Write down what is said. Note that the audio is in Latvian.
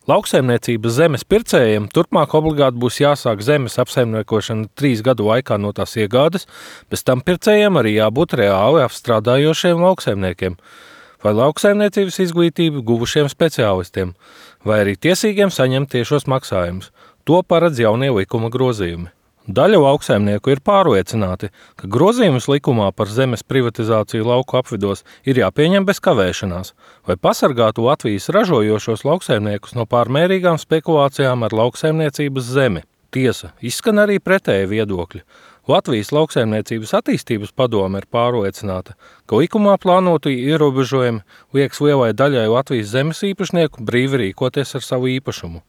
Lauksaimniecības zemes pircējiem turpmāk obligāti būs jāsāk zemes apsaimniekošana 3 gadu laikā no tās iegādes, bez tam pircējiem arī jābūt reāli apstrādājošiem lauksaimniekiem vai lauksaimniecības izglītību guvušiem speciālistiem, vai arī tiesīgiem saņemt tiešos maksājumus. To paredz jaunie likuma grozījumi. Daļa lauksaimnieku ir pārliecināti, ka grozījumus likumā par zemes privatizāciju lauku apvidos ir jāpieņem bez kavēšanās, lai pasargātu Latvijas ražojošos lauksaimniekus no pārmērīgām spekulācijām ar lauksaimniecības zemi. Tiesa, izskan arī pretēji viedokļi. Latvijas lauksaimniecības attīstības padome ir pārliecināta, ka likumā plānotu ierobežojumi liekas lielai daļai Latvijas zemes īpašnieku brīvi rīkoties ar savu īpašumu.